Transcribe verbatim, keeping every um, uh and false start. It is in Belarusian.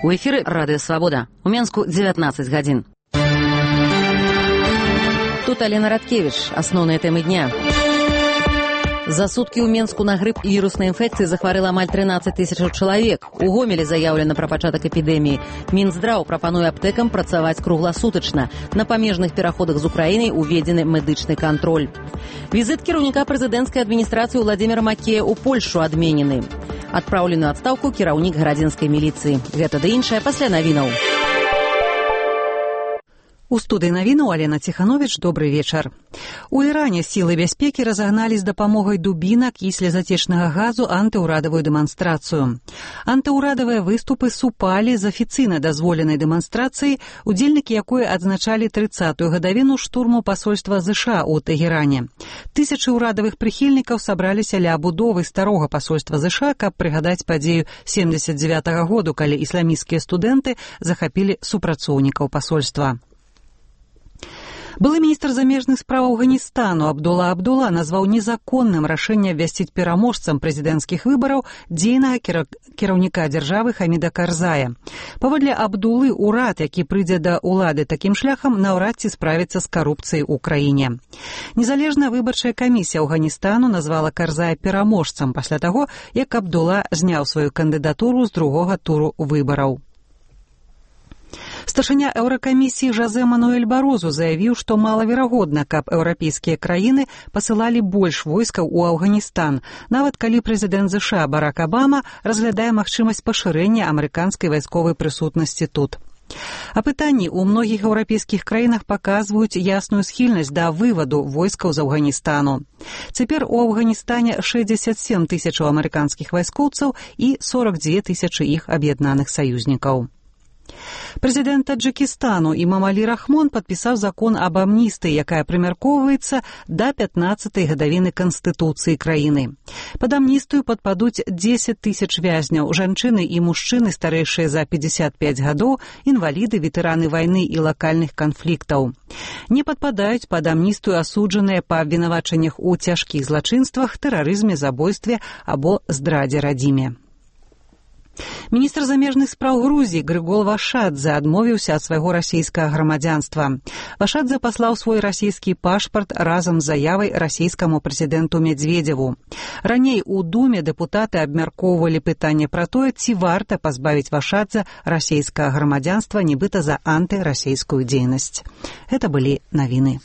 У эфіры Радыё Свабода. У Менску дзевятнаццаць гадзін. Тут Алена Радкевич. Асноўныя тэмы дня. За суткі ў Менску на грып і віруснай інфекцыі захварэла амаль трынаццаць тысячаў чалавек. У Гомелі заяўлена пра пачатак эпідэміі. Мінздраў прапануе аптэкам працаваць кругласутачна. На памежных пераходах з Украінай уведзены медычны кантроль. Візіт кіраўніка прэзідэнцкай адміністрацыі Владзіміра Макея ў Польшу адменены. Адпраўлены ў адстаўку кіраўнік гарадзенскай міліцыі. Гэта ды іншае пасля навінаў. У студыі навінаў Алена Ціхановіч, добрый вечар. У Іране сілы бяспекі разагналі з дапамогай дубінак і слезацечнага газу антыўрадавую дэманстрацыю. Антыўрадавыя выступы супалі з афіцыйна дазволенай дэманстрацыяй, удзельнікі якой адзначалі трыццатую гадавіну штурму пасольства ЗША ў Тэгеране. Тысячы ўрадавых прыхільнікаў сабраліся ля абудовы старога пасольства ЗША, каб прыгадаць падзею семдзесят дзевятага году, калі ісламісцкія студэнты захапілі супрацоўнікаў пасольства. Былы міністр замежных спраў Афганістану Абдулла Абдулла назваў незаконным рашэнне абвясціць пераможцам прэзідэнцкіх выбараў дзейнага кіраўніка дзяржавы Хаміда Карзая. Паводле Абдуллы, урад, які прыйдзе да ўлады такім шляхам, наўрад ці справіцца з карупцыяй у краіне. Незалежная выбарчая камісія Афганістану назвала Карзая пераможцам пасля таго, як Абдулла зняў сваю кандыдатуру з другога туру выбараў. Старшыня Еўракамісіі Жозе Мануэль Барозу заявіў, што малаверагодна, каб еўрапейскія краіны пасылалі больш войскаў у Афганістан, нават калі прэзідэнт ЗША Барак Абама разглядае магчымасць пашырэння амерыканскай вайсковай прысутнасці тут. Апытанні ў многіх еўрапейскіх краінах паказваюць ясную схільнасць да вываду войскаў з Афганістану. Цяпер у Афганістане шэсцьдзесят сем тысячаў амерыканскіх вайскоўцаў і сорок дзве тысячы іх аб'яднаных саюзнікаў. Прэзідэнт Таджыкістану Имамалі Рахмон падпісаў закон аб амністыі, якая прымяркоўваецца да пятнаццатай гадавіны Канстытуцыі краіны. Пад амністыю падпадуць дзесяць тысяч вязняў, жанчыны і мужчыны старэйшыя за пятьдесят пять гадоў, інваліды, ветэраны вайны і лакальных канфліктаў. Не падпадаюць пад амністыю асуджаныя па абвінавачаннях у цяжкіх злачынствах, тэрарызме, забойстве або здрадзе радзіме. Міністр замежных спраў Грузіі Грыгол Вашадзе адмовіўся ад свайго расійскага грамадзянства. Вашадзе паслаў свой расійскі пашпарт разам з заявай расійскаму прэзідэнту Медведзеву. Раней у Думе дэпутаты абмяркоўвалі пытанне пра тое, ці варта пазбавіць Вашадзе расійскага грамадзянства, нібыта за антырасійскую дзейнасць. Гэта былі навіны.